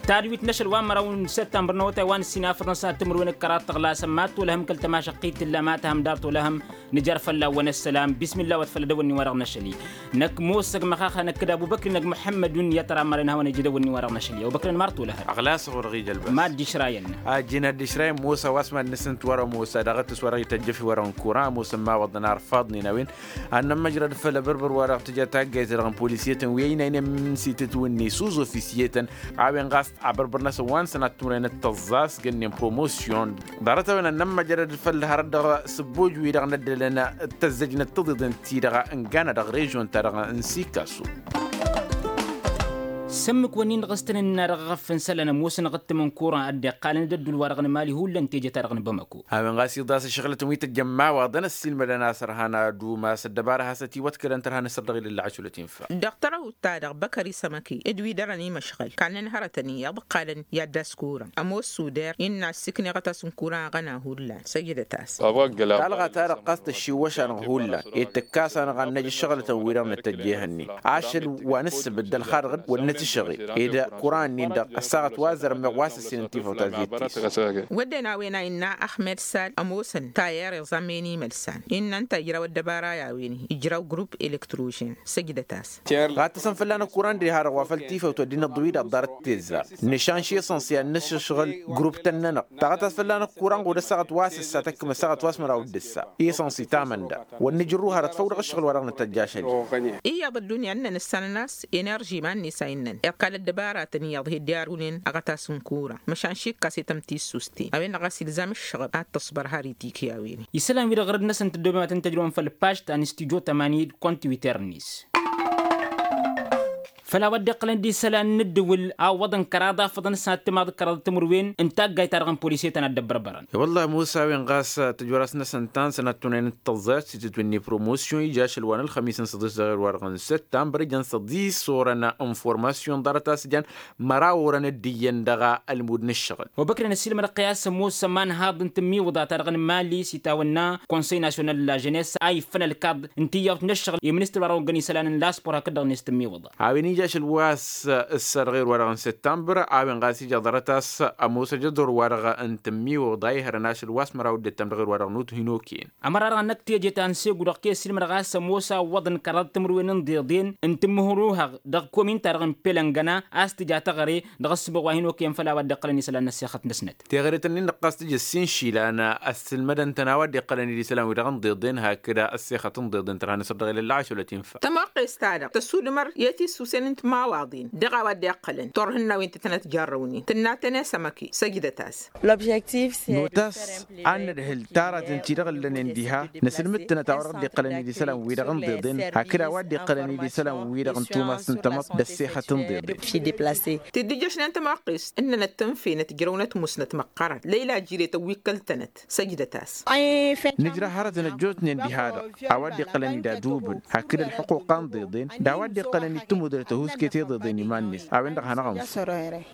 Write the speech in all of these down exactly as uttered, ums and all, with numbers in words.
Tadwit n-ašăl wa n-măraw n-săttămbăr n-awătay wa n-ǝssin afăḍăn s-ad-timǝrwen d-kăraḍ tăɣlasăn mad-tolăhăm kăl-tămašăqqit tǝlla ma tăhăm dar tolăhăm. Nǝjar fălla-wăn ăssălam bismilla wăt făll-edăwănni-wa-dăɣ n-ašăl-i. Năkk mossăg măxaxa năkk d-abubăkri năkk muḥămmădun i-ad-tăra n-mărăn hawăn-ija edăwănni-wa-dăɣ n-ašăl-i abubăkri ănmar tolăhăd. Ăɣlasăɣ-wăr ɣija ălbăs. Mad-dd-išrayăn. Ajjǝn ad-dd-išrayăn mosa wa s-mad-nǝsǝnt wăr-ămosa daɣ ăttǝs wa dăɣ-ităjjăf i-wăr-ănkura ămoosăn ma wăḍăn arfaḍnen a-wen. Ad-nămmăjrăd făll-abărbăr wa dăɣ-tǝja taggayt-ta-dăɣ n-polisiyătăn wi ăynaynen s-itǝtwǝnni s-uzofisiyetăn. A-wen ɣas abărbăr-năsăn wa n-sănat tumrăyăn d-tăẓẓa s-gănnen promosyon. Ḍarăt-a-wen ad-nămmăjrăd făll-hărăt dăɣ-sǝbboj-wi-dăɣ n-ăddălăn d-tăzzăjnăt tiḍeḍen-ti-dăɣ ǝngană dăɣ-režyon-ta-dăɣ n-sikasu. S-ǝmmǝk-wǝnnin-dăɣ s-tăn-ǝnna dăɣ-eɣăf n-isălan ămoosăn aɣǝttǝm n-kuran a dd-iqqalăn d-ăddul-wa-dăɣ n-emali hullan teje-ta-dăɣ n-bamăko. A-wen ɣas iḍas ašăɣǝlătăn wi tăjjăn imawaḍăn ăssiilmădăn a-s ărhan ad-umas ăddăbara has-ătiwăḍkălăn tărha n-asăr dăɣ-ilălla ašulăt infa. Dăɣ-tărăwt-ta-dăɣ băkări s-ămăke d-wi dăr-ănimăšɣăl kannăn hărătăn iyyăḍ ǝqqalăn i-ad-dd-askuran ămoos suder innă ăssiikneɣ a tasǝnkuran aɣăna hullan. Săjdăt-as. Talɣa-ta-dăɣ ɣas tăššiwwăš-anăɣ hullan ed tǝkkas-anăɣ ad-năj ǝššăɣǝlătăn-wi-dăɣ nǝtăjj ehăn-in ašăl wa n-ǝssǝbǝd d-ălxaḍăɣ-dd wăr nǝtǝšăɣe ed kuran-nin-dăɣ ăssaɣăt wa zărmeɣ wa s-ǝssin n-tifăwt a zittis. Wădden a-wen a innă ahmed sal ămoosăn tayer iẓam i-inimălsan innă ǝnta ijraw ăddăbara i-a-wen ijraw grupp elektrožen. Săjdăt-as. Ɣattăsăn fălla-năk kuran diha-dăɣ wa făl tifăwt ăddinăt ḍǝwidăt ḍarăt tezzar nǝšanš isănsi ad-nǝššăɣǝl grupp-tăn-nănăɣ. Taɣăt a-s fălla-năk kuran ɣud ăssaɣăt wa s-ǝssa tăkkǝm ăssaɣăt wa s-măraw d-ǝssa isănsi tamănda. Wăr nǝjrǝw hărăt făw dăɣ-ǝššăɣǝl wa dăɣ-nǝtăjj ašăl-i. Iyyăḍ ăddunya ǝnnăn ǝssan ănas enerži iman-net a innăn iqqal ăddăbaratăn iyyăḍ hi-dd-iarwǝnen aɣătas n-kuran măšan šikkasăy tămtissust-ten a-wen-dăɣ a-s ilzam ǝššăɣăb ad-tăṣbăr har itikǝy a-wen-i. Isălan-wi-dăɣ ɣărăd-năsăn tǝddoobem ad-tăn-tăjrăwăm făll-pažt ta n-istijo tămani d-kont twitter-net. Făll-a-wa dd-iqqălăn d-isălan n-ǝddǝwǝl a ǝwwăḍăn kăraḍ afăḍăn s-ad-timaḍ kăraḍ timǝrwen n-taggayt-ta-dăɣ n-polisiyătăn ad-dd-ăbbărbărăn. I-wălla ămoos a-wen ɣas tǝjwăr-as-năsăn ta n-sănat tunăyăn d-tăẓẓa s-itǝtwǝnni promosyon ija ašăl wa n-ălxămis n-săḍis dăɣ-ewăr wa dăɣ-n săttămbăr ijăn săḍis orăn n-informasyon ḍarăt a-s jan măraw orăn dd-iyyăn dăɣ-ălmud n-ǝššăɣǝl. Obăkre n-ăssiilmădăɣ kăy-a-s ămoos ămanhaḍ n-tǝmmiwǝḍa ta dăɣ-nǝmali s-itawănna konsăy nasyonal n-lažănes a iffăn ălkaḍ n-tiyyawt n-ǝššăɣǝl i-ministăr wa dăɣ-oggăn isălan n-laspor hakd-dăɣ-net tǝmmiwǝḍa. A-wen ija ašăl wa s-ǝssa dăɣ-erwa-dăɣ n-săttămbăr a-wen ɣas ija ḍarăt a-s ămoos ajăḍor-wa-dăɣ n-tǝmmiwǝḍa ihărăn ašăl wa s-măraw dd-ăttăm dăɣ-erwa-dăɣ n-uthin okăyăn. Ămăra-dăɣ ănnăk teje ta n-segu dăɣ-kăy-ăssiilmădăɣ a-s ămoos a ǝwwăḍăn kăraḍ timǝrwen n-iḍeḍen n-tǝmmǝhruhăɣ dăɣ-komin-ta-dăɣ n-pelăngăna a-s tǝja taɣăre dăɣ-ăssǝboɣ wa hin-okăyăn făll-a-wa dd-iqqălăn isălan n-ăssexăt-năsnăt. Teɣăre-tăn-in-dăɣ ɣas tǝjǝs inšilan ăssǝlmădăn-tăn a-wa dd-iqqălăn-dd isălan-wi-dăɣ n-iḍeḍen hakd ăssexăt n-iḍeḍen tărha n-asăr dăɣ-ilălla ašăl ătinfa. Tămoqqes-ta-dăɣ tăsudǝmăr i-tisusen n-timawaḍen dăɣ-a-wa dd-iqqălăn turhǝnnawen ti tănăt jarrăwnen tǝnna tăne s-emăke. Săjdăt-as. Nota a-s ad-nǝdhǝl taratăn-ti-dăɣ ǝllănen diha nǝsǝlmǝd-tănăt a-wa dăɣ-dd-iqqălăn-dd isălan-wi-dăɣ n-iḍeḍen hakd a-wa dd-iqqălăn-dd isălan-wi-dăɣ n-tumas n-tamăḍt d-ăssexăt n-iḍeḍen. Tidǝjjăš-nen tămoqqest ǝnnănăt tǝnfe nătjrăwnăt musnăt măqqărăn lăyla jiretăn wi ǝkkăl-tănăt. Săjdăt-as. Nǝjrăw hărătăn ăjjootnen diha-dăɣ a-wa dd-iqqălăn-dd adubǝn hakd ălḥuquqa n-iḍeḍen d-a-wa dd-iqqălăn-dd tǝmudrăt ăhuusket i-iḍeḍen iman-net a-wen-dăɣ hanăɣ-ănf.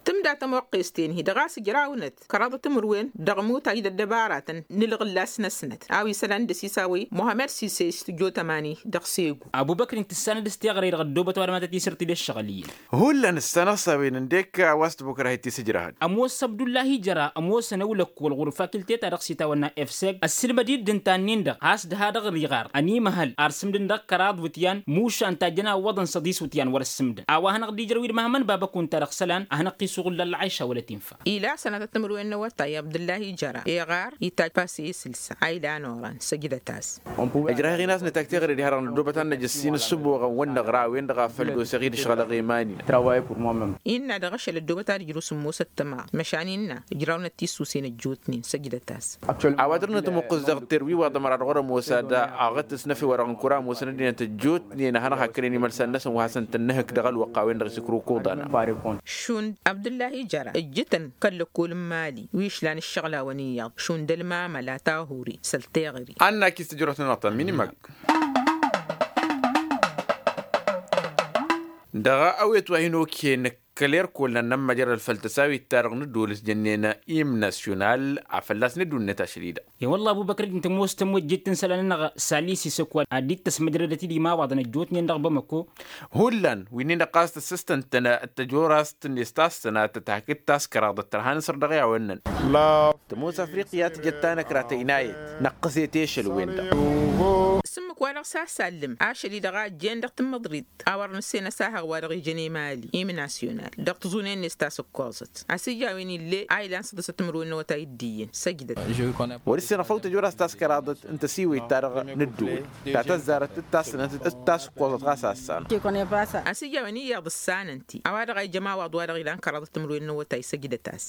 Tǝmda tămoqqest-en-hi-dăɣ a-s ǝjrawnăt kăraḍ timǝrwen dăɣ-imutay d-ăddăbaratăn n-ǝlɣǝllas-năsnăt a-wa isălan d-ăsisawăy muhămmăd sise s-tǝjjo tămani dăɣ-segu. Abubăkrin tǝssanăd s-teɣăre-dăɣ ăddoobăt ăwadǝm ad-tăt-isǝrtǝd ǝššăɣǝl-i-in. Hullan ǝssanăɣ s-a-wen ǝndek a-wa s-tibukra hi-t-isǝjrăhăd. Ămoos abdullahi jăra ămoosăn ăwlăkkol ɣur-fakilte-ta-dăɣ s-itawănna efseg ăssiilmăd-dd ǝnta-nin-dăɣ a-s dăha-dăɣ ăriɣar ănimăhăl ar sǝmdǝn dăɣ-kăraḍ iwǝtyan mušan tajjăn a ǝwwăḍăn săḍis iwǝtyan wăr-ăssǝmdǝn. A-wa hanăɣ-dd-ijrăw-dd măhmăn babăkun-ta-dăɣ isălan ad-hanăɣ-t-isuɣǝl d-ălɣayša wăla tinfa. Ila sănatăt timǝrwen n-awătay abdullahi jăra iɣar itajj pasi isǝlsa a ilan oran. Săjdăt-as. Ăjrah-i ɣin a-s nǝtag teɣăre diha-dăɣ năddoobăt ad-năj ǝssin ǝssǝboɣăn-wăn-năɣra a-wen-dăɣ a făl dosăɣ-i d-ašăɣǝl aɣeman-in. Innă dăɣ-ašăl ăddoobăt ad-ǝjrǝw s-ămoos ăttămaḍ măšan innă ǝjrawnăt tisusen ăjjootnen. Săjdăt-as. A-wa dăr-nătămuqqǝs dăɣ-terwiwaḍ ămăra dăɣ-wăr-ămoos ad-aɣǝt s-năfe wa dăɣ-nǝkura ămoosăn ăddinăt ăjjootnen ad-hanăɣ-hakkănen imălsan-năsăn wa hasăn-tăn-nǝhǝk dăɣ-ălwăqq a-wen-dăɣ s-ikrǝwkuḍan. Šund abdǝllahi jăra ǝjjǝtăn kăl-lăkkol n-mali wi ǝšlan ǝššăɣlawăn iyyăḍ šund ălmamăla tahuri săl teɣăre. Annak-i s-tǝjrăwt-nănăɣ ta n-minimăk. Dăɣ-awet wa hin-okăyăn kăl-erkol n-ad-nămmăjrăd făll-tăsawit-ta-dăɣ n-ădduul s-jănnen im nasyonal a fălla-s n-ădduul-net ašăl-i-dăɣ. I-wălla ăbubăkr-dd ǝnta ămoos tămwăjjet n-isălan-nănăɣ s-alisi s-ăkk wa ad-dd-tăsmăjrădăt-dd imawaḍăn ăjjootnen dăɣ-bamăko. Hullan wi-nin-dăɣ ɣas tăssăstăn-tăn d-tăjorast-net ta s-sănatăt hakd taskăraḍăt tărha n-asăr dăɣ-i a-wa ǝnnăn. Tămoos afriqya tǝjăt tanăkra tăynayăt năqqǝset i-ašăl-wen-dăɣ. S-ǝmmǝk wa dăɣ-s asallǝm ašăl-i-dăɣ a ăjjeen dăɣ-tǝmmǝḍrit a wăr nǝssen ăsahăɣ wa dăɣ-ijăn i-mali im nasyonal dăɣ-tǝẓunen-net ta s-ǝkkoẓăt a-s ija a-wen ill'-e a ilan săḍǝsăt timǝrwen n-awătay d-iyyăn săjdăt. Wăr-ǝssin ăfăw tăjora s-taskăraḍăt n-tăsiwăyt-ta-dăɣ n-ădduul ta tăzzarăt d-tassănăt d-ta s-ǝkkoẓăt ɣas a ăssanăɣ. A-s ija a-wen iyyăḍ ǝssanăn-t-i a-wa-dăɣ a ija ămawaḍ wa-dăɣ ilan kăraḍăt timǝrwen n-awătay săjdăt-as.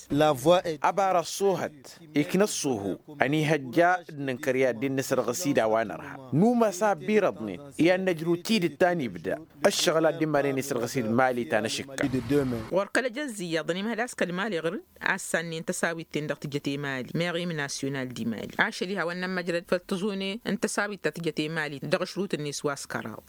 Ăbar ăṣṣuhăt ikna ăṣṣuhu ănihăjja d-nǝnkăr i-ad-dd-nǝsrăɣ s-id a-wa nărha. Număs a ăbbirăḍnen i-ad-năjrǝw tidǝt ta n-ibda ǝššăɣǝl a dd-immărăn isrăɣ s-id mali ta n-ašǝkka. Ɣur-kăl-ăjăzz iyyăḍăn imhăl a-s kăl-mali ɣǝr-dd a ăssannen tăsawit-ten-dăɣ tǝjăt i-mali meɣ imnasyonal d-imali ašăl iha wa n-nămmăjrăd făll-tǝẓune n-tăsawit ta tǝjăt i-mali dăɣ-ašrut-net wa s-kăraḍ.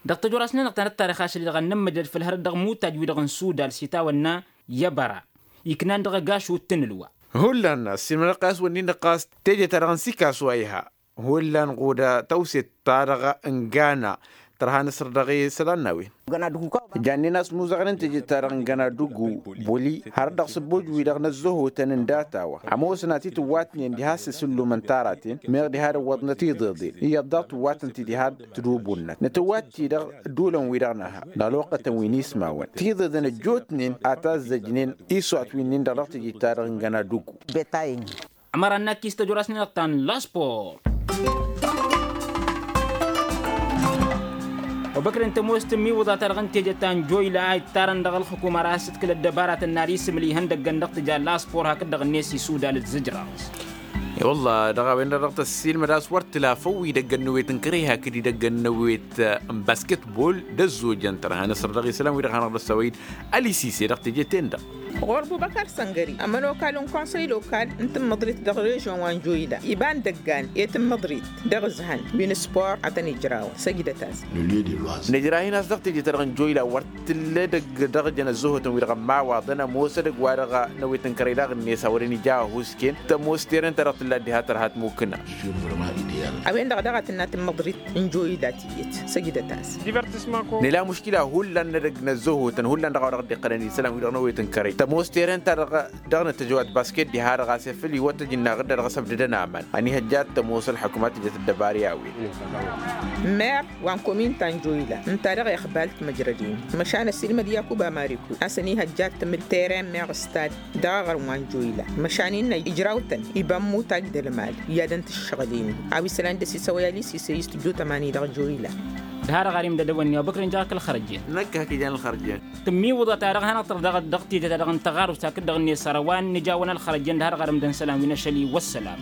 Dăɣ-tăjorasnen-dăɣ ta n-ăttarix ašăl-i-dăɣ ad-nămmăjrăd făll-hărăt dăɣ-imutaj-wi-dăɣ n-sudal s-itawănna i-abăra iknan dăɣ-agašut n-ǝlwa. Hullan ăssiilmădăɣ-t a-s wănnin-dăɣ ɣas teje-ta-dăɣ n-sikasu a iha. Hullan ɣuda tawset-ta-dăɣ n-gana tărha n-asăr dăɣ-isălan n-a-wen. Jannen a-s muzăɣnen teje-ta-dăɣ n-gana duggu buli har dăɣ-sǝbboj-wi-dăɣ n-ăzzăhotăn n-data-wa ămoosăn ad-t-tǝwwatnen diha s-isǝllumăn taraten meɣ diha d-ǝwwăḍnăt tiḍeḍen iyyăḍ daɣ tǝwwatăn-ti diha d-tǝdubunnăt nǝtǝwwat-ti-dăɣ ădduulăn-wi-dăɣ n-aha dăɣ-alwăqqătăn wi n-ismawăn tiḍeḍen ăjjootnen a tazzăjnen iswat wi-nin-dăɣ dăɣ-teje-ta-dăɣ n-gana duggu. Ămăra n-akkis tăjorasnen-dăɣ ta n-laspor. Obăkren tămoos tǝmmiwǝḍa-ta-dăɣ n-teje ta n-joyla a ittarăn dăɣ-ălxukuma ar a-s ǝtkǝl ăddăbaratăn n-ad-isǝmǝl ihăndăggăn dăɣ-tǝja laspor hakd-dăɣ-net isudal d-zǝjraẓ. I-wălla dăɣ-a-wen-dăɣ dăɣ-tăssiilmăd a-s wăr t-tǝla făw idăggăn n-ewet n-kăreha hakd idăggăn n-ewet n-basketbol d-ăzzojăn tărha n-asăr dăɣ-isălan wi-dăɣ hanăɣ-dd-ăssăwăy-dd ălisise dăɣ-teje-ten-dăɣ. Ɣur-bubăkar săngări ămănokal n-konsăy lokal n-tǝmmăḍrit dăɣ-režion wa n-joyla iba n-idăggan i-tǝmmăḍrit dăɣ-ǝzhăn wi n-spor ad-tăn-ijrawăn săjdăt-as. Nǝjrahin a-s dăɣ-teje-ta-dăɣ n-joyla wăr t-tǝll' edăgg dăɣ-jăn ăzzăhotăn-wi-dăɣ ămmawaḍăn ămoos edăgg-wa-dăɣ n-ewet n-kărăy daɣ-net a wărăn ija ahusken tămoos terăn-ta-dăɣ tǝlla diha tărha tmukna. A-wen-dăɣ daɣ a tǝnna tǝmmăḍrit n-joyla tiyyăt săjdăt-as. Nǝla muškila hullan n-edăgg n-ăzzăhotăn hullan dăɣ-a-wa dăɣ-dd-iqqălăn isălan-wi-dăɣ n-ewet n-kărăy tămoos terăn-ta-dăɣ dăɣ-nǝtăjăwat basket diha-dăɣ a-s efăl iwăt ăj n-aɣǝdda dăɣ-asăbdădăn aman ănihăjja ad-tămoos ălḥukuma tǝjăt ăddăbar i-a-wen. Mer wa n-komin ta n-joyla ǝnta-dăɣ ixbal timǝjrăden măšan ăsilmăd yakub amariku a-s ănihăjja ad-tǝmǝl teren meɣ stad dăɣ-aɣrǝm wa n-joyla măšan innă ijraw-tăn iba n-imutaj d-ălmal i-ad-ăntǝššăɣǝl-in a-wa isălan dăr-s isăwăy ălisise i-s tǝjjut ămani dăɣ-joyla. D-ha-dăɣ ar imdăd ăwănni obăkr ǝnjăɣ-ak ălxărăjjen. Năkk hak ijan ălxărăjjen. Tǝmmiwǝḍa-ta-dăɣ hanăɣ-tăr dăɣ-tijăt-ta-dăɣ n-tăɣarust hakd-dăɣ-net săr a-wa n-nǝjawăn ălxărăjjen d-ha-dăɣ ar imdăn isălan wi n-ašăl-i wăssălam.